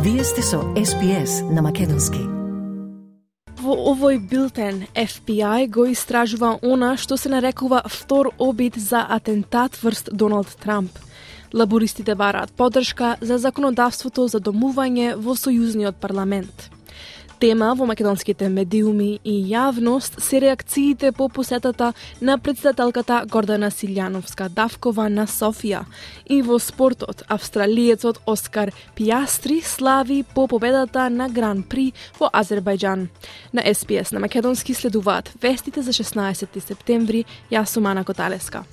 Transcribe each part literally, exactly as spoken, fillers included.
Вие сте со Ес Би Ес на македонски. Во овој билтен, Еф Би Ај го истражува она што се нарекува втор обид за атентат врз Доналд Трамп. Лабористите бараат поддршка за законодавството за домување во сојузниот парламент. Тема во македонските медиуми и јавност се реакциите по посетата на претседателката Гордана Силјановска-Давкова на Софија. И во спортот, австралиецот Оскар Пијастри слави по победата на Гран При во Азербајџан. На Ес Би Ес на македонски следуваат вестите за шеснаесети септември. Јас сум Ана Коталеска.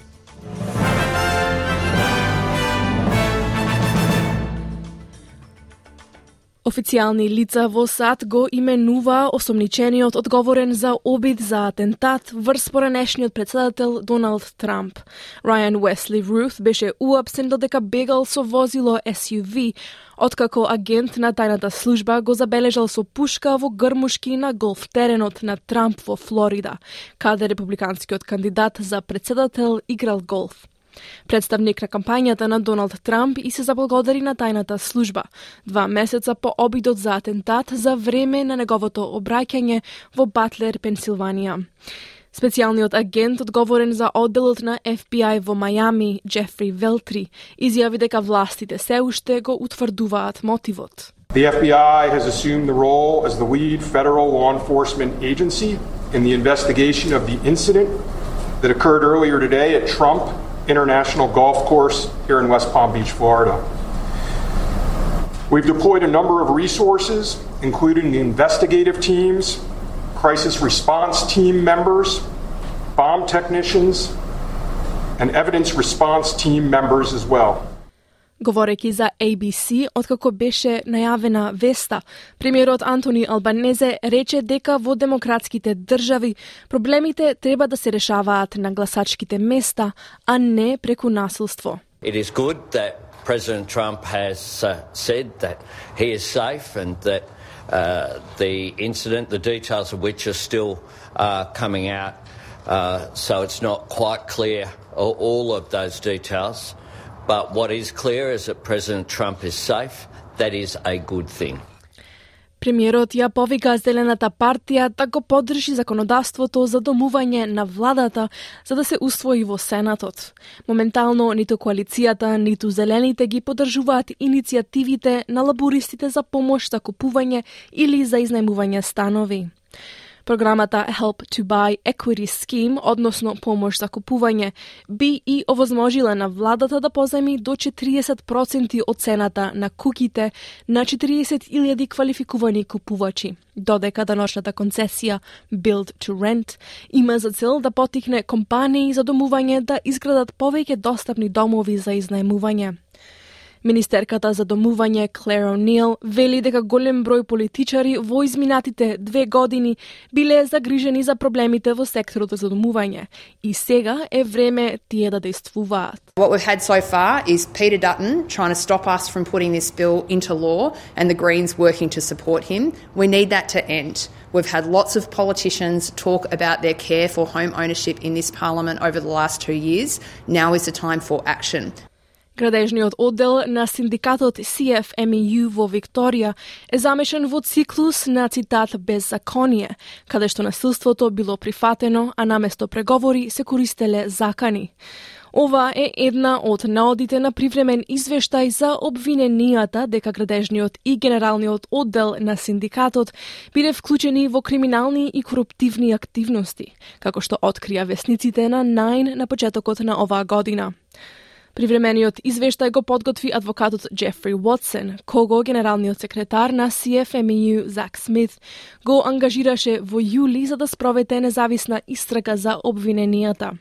Официјални лица во САД го именува осомничениот одговорен за обид за атентат врз поранешниот претседател Доналд Трамп. Рајан Уесли Рут беше уапсен додека бегал со возило Ес Ю Ви, откако агент на тајната служба го забележал со пушка во грмушки на голф теренот на Трамп во Флорида, каде републиканскиот кандидат за претседател играл голф. Представник на кампањата на Доналд Трамп и се заблагодари на тајната служба, два месеца по обидот за атентат за време на неговото обраќање во Батлер, Пенсилванија. Специјалниот агент одговорен за одделот на Еф Би Ај во Мајами, Джефри Велтри, изјави дека властите се уште го утврдуваат мотивот. The F B I has assumed the role as the lead federal law enforcement agency in the investigation of the incident that occurred earlier today at Trump International Golf Course here in West Palm Beach, Florida. We've deployed a number of resources, including the investigative teams, crisis response team members, bomb technicians, and evidence response team members as well. Говорејќи за Ей Би Си, откако беше најавена веста, премиерот Антони Албанезе рече дека во демократските држави проблемите треба да се решаваат на гласачките места, а не преку насилство. It is good that President Trump has uh, said that he is safe and that uh, the incident, the details of which are still uh, coming out, uh, so it's not quite clear all, all of those details. But what is clear is that President Trump is safe. That is a good thing. Премиерот ја повика Зелената партија да го поддржи законодавството за домување на владата за да се усвои во Сенатот. Моментално ниту коалицијата, ниту Зелените ги поддржуваат иницијативите на лабористите за помош за купување или за изнајмување станови. Програмата Help to Buy Equity Scheme, односно помош за купување, би и овозможила на владата да позајми до четириесет проценти од цената на куќите на четириесет илјади квалификувани купувачи, додека даночната концесија Build to Rent има за цел да поттикне компании за домување да изградат повеќе достапни домови за изнајмување. Министерката за домување Клер О'Нил вели дека голем број политичари во изминатите две години биле загрижени за проблемите во секторот за домување и сега е време тие да действуваат. What we've had so far is Peter Dutton trying to stop us from putting this bill into law and the Greens working to support him. We need that to end. We've had lots of politicians talk about their care for home ownership in this parliament over the last two years. Now is the time for action. Градежниот оддел на синдикатот Си Еф Ем И Ју во Викторија е замешан во циклус на цитат беззаконие, каде што насилството било прифатено, а наместо преговори се користеле закани. Ова е една од наодите на привремен извештај за обвиненијата дека градежниот и генералниот оддел на синдикатот биле вклучени во криминални и коруптивни активности, како што открија весниците на Најн на почетокот на оваа година. Привремениот извештај го подготви адвокатот Джефри Уотсон, кого генералниот секретар на Си Еф Ем И Ју Зак Смит го ангажираше во јули за да спроведе независна истрага за обвиненијата.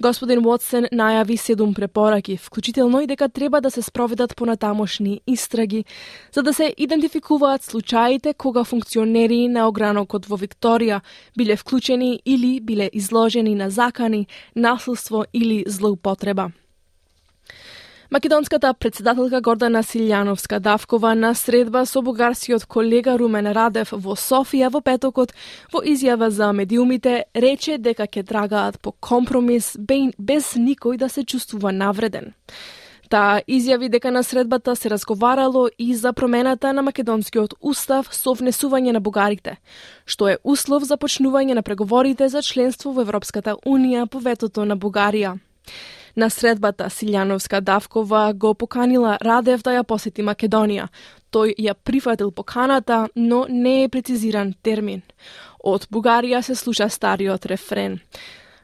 Господин Уотсон најави седум препораки, вклучително и дека треба да се спроведат понатамошни истраги, за да се идентификуваат случаите кога функционери на огранокот во Викторија биле вклучени или биле изложени на закани, насилство или злоупотреба. Македонската претседателка Гордана Силјановска-Давкова на средба со бугарскиот колега Румен Радев во Софија во петокот во изјава за медиумите рече дека ќе трагаат по компромис без никој да се чувствува навреден. Таа изјави дека на средбата се разговарало и за промената на македонскиот устав со внесување на бугарите, што е услов за почнување на преговорите за членство во Европската унија по ветото на Бугарија. На средбата Силјановска-Давкова го поканила Радев да ја посети Македонија. Тој ја прифатил поканата, но не е прецизиран термин. Од Бугарија се слуша стариот рефрен.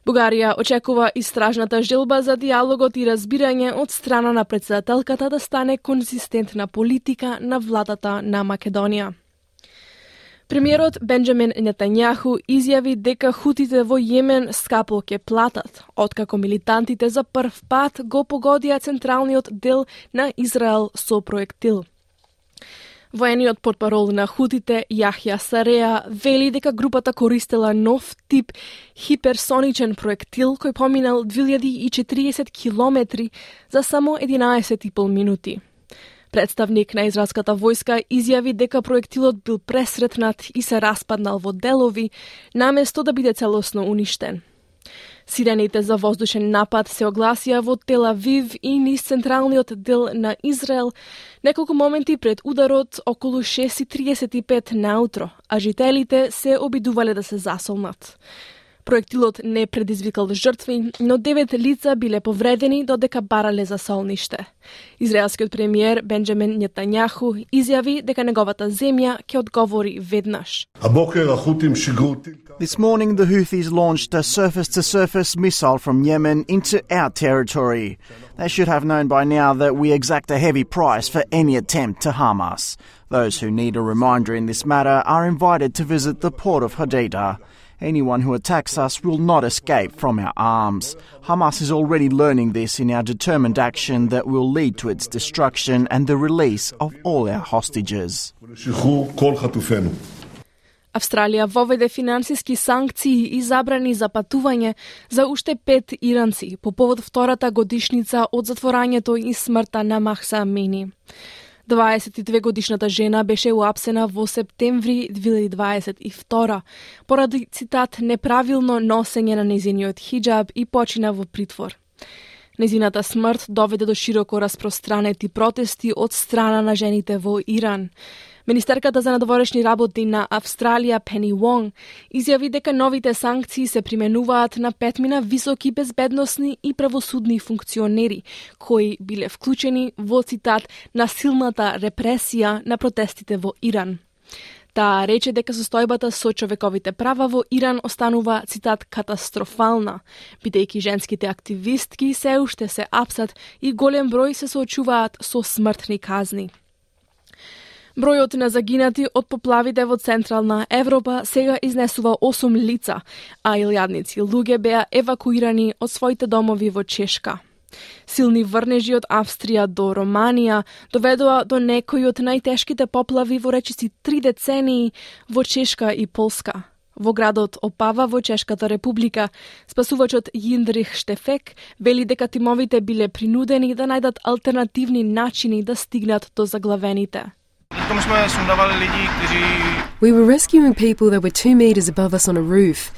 Бугарија очекува истражната желба за диалогот и разбирање од страна на претседателката да стане конзистентна политика на владата на Македонија. Премиерот Бенџамин Нетањаху изјави дека хутите во Јемен скапо ќе платат, откако милитантите за прв пат го погодија централниот дел на Израел со проектил. Воениот портпарол на хутите Јахја Сареа вели дека групата користела нов тип хиперсоничен проектил кој поминал две илјади и четириесет километри за само единаесет и пол минути. Представник на израелската војска изјави дека проектилот бил пресретнат и се распаднал во делови, наместо да биде целосно уништен. Сирените за воздушен напад се огласија во Тел Авив и низ централниот дел на Израел неколку моменти пред ударот околу шест и триесет и пет наутро, а жителите се обидувале да се засолнат. Проектилот не предизвикал жртви, но девет лица биле повредени додека барале за солниште. Израелскиот премиер Бенџамин Нетањаху изјави дека неговата земја ќе одговори веднаш. This morning, the Houthis launched a surface-to-surface missile from Yemen into our territory. They should have known by now that we exact a heavy price for any attempt to harm us. Those who need a reminder in this matter are invited to visit the port of Hodeidah. Anyone who attacks us will not escape from our arms. Hamas is already learning this in our determined action that will lead to its destruction and the release of all our hostages. Австралија воведе финансиски санкции и забрани за патување за уште пет иранци по повод втората годишница од затворањето и смртта на Махса Амини. дваесет и две годишната жена беше уапсена во септември две илјади дваесет и втора поради, цитат, неправилно носење на незиниот хиџаб и почина во притвор. Незината смрт доведе до широко распространети протести од страна на жените во Иран. Министерката за надворешни работи на Австралија Пени Вонг изјави дека новите санкции се применуваат на петмина високи безбедносни и правосудни функционери кои биле вклучени во, цитат, насилната репресија на протестите во Иран. Таа рече дека состојбата со човековите права во Иран останува, цитат, катастрофална, бидејќи женските активистки се уште се апсат и голем број се соочуваат со смртни казни. Бројот на загинати од поплавите во Централна Европа сега изнесува осум лица, а илјадници луѓе беа евакуирани од своите домови во Чешка. Силни врнежи од Австрија до Романија доведоа до некои од најтешките поплави во речиси три децении во Чешка и Полска. Во градот Опава во Чешката република, спасувачот Јиндрих Штефек вели дека тимовите биле принудени да најдат алтернативни начини да стигнат до заглавените. We were rescuing people that were two metres above us on a roof.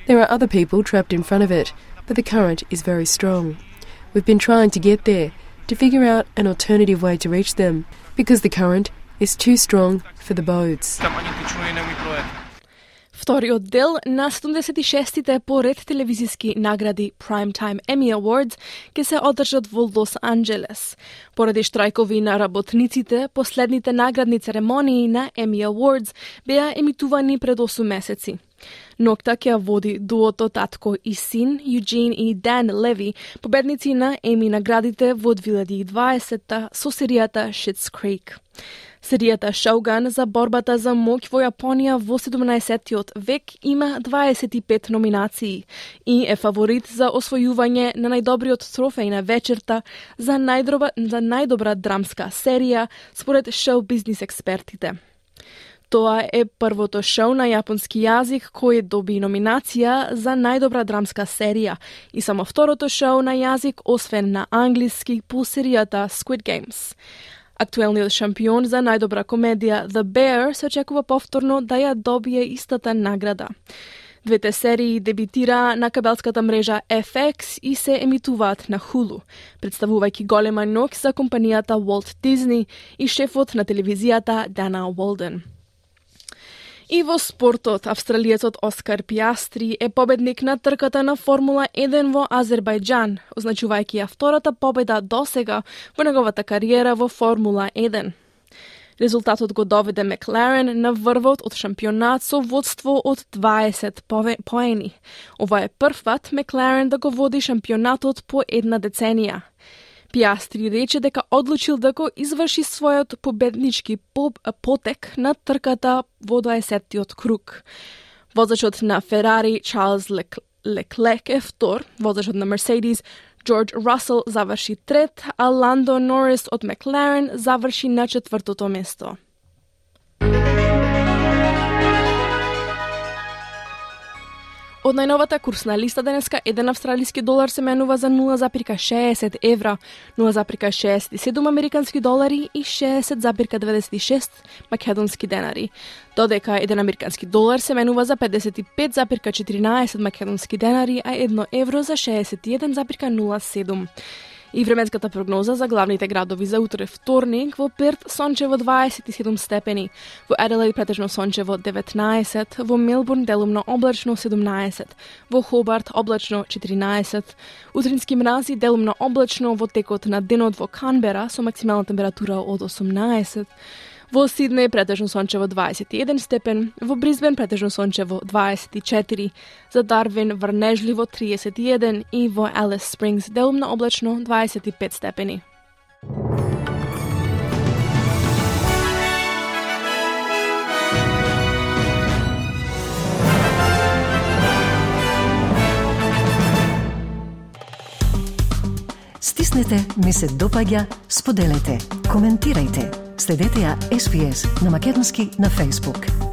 There are other people trapped in front of it, but the current is very strong. We've been trying to get there, to figure out an alternative way to reach them, because the current is too strong for the boats. Вториот дел на седумдесет и шестите поред телевизиски награди Primetime Emmy Awards ќе се одржат во Лос Анџелес. Поради штрајкови на работниците, последните наградни церемонии на Emmy Awards беа емитувани пред осум месеци. Ноќта ќе води дуото татко и син, Юджин и Дан Леви, победници на Еми наградите во две илјади и дваесетта со серијата Schitt's Creek. Серијата Shogun за борбата за моќ во Јапонија во седумнаесеттиот век има дваесет и пет номинации и е фаворит за освојување на најдобриот трофеј на вечерта за најдобра, за најдобра драмска серија според шоу-бизнис експертите. Тоа е првото шоу на јапонски јазик кој доби номинација за најдобра драмска серија и само второто шоу на јазик освен на англиски по серијата Squid Games. Актуелниот шампион за најдобра комедија The Bear се очекува повторно да ја добие истата награда. Двете серии дебитира на кабелската мрежа Еф Екс и се емитуваат на Hulu, представувајќи голема ноќ за компанијата Walt Disney и шефот на телевизијата Дана Уолден. И во спортот, австралиецот Оскар Пиастри е победник на трката на Формула еден во Азербајџан, означувајќи ја втората победа досега во неговата кариера во Формула еден. Резултатот го доведе Макларен на врвот од шампионат со водство од дваесет поени. Ова е првпат Макларен да го води шампионатот по една деценија. Пиастри рече дека одлучил да го изврши својот победнички потек на трката во дваесеттиот круг. Возачот на Ферари Чарлз Леклек е втор, возачот на Мерседис Джордж Расел заврши трет, а Ландо Норис од Макларен заврши на четвртото место. Од најновата курсна листа денеска еден австралиски долар се менува за нула запирка шеесет евра, нула запирка шеесет и седум американски долари и шеесет запирка деведесет и шест македонски денари. Додека еден американски долар се менува за педесет и пет запирка четиринаесет македонски денари, а едно евро за шеесет и еден запирка нула седум. И временската прогноза за главните градови за утре вторник: во Перт сончево дваесет и седум степени, во Аделаид претежно сончево деветнаесет, во Мелбурн делумно облачно седумнаесет, во Хобарт облачно четиринаесет, утрински мрази делумно облачно во текот на денот во Канбера со максимална температура од осумнаесет, во Сиднеј претежно сончево дваесет и еден степен, во Брисбен претежно сончево дваесет и четири, за Дарвин врнежливо триесет и еден и во Алис Спрингс делумно облачно дваесет и пет степени. Стиснете, ми се допаѓа, споделете, коментирајте. Следете ја Ес Би Ес на македонски на Facebook.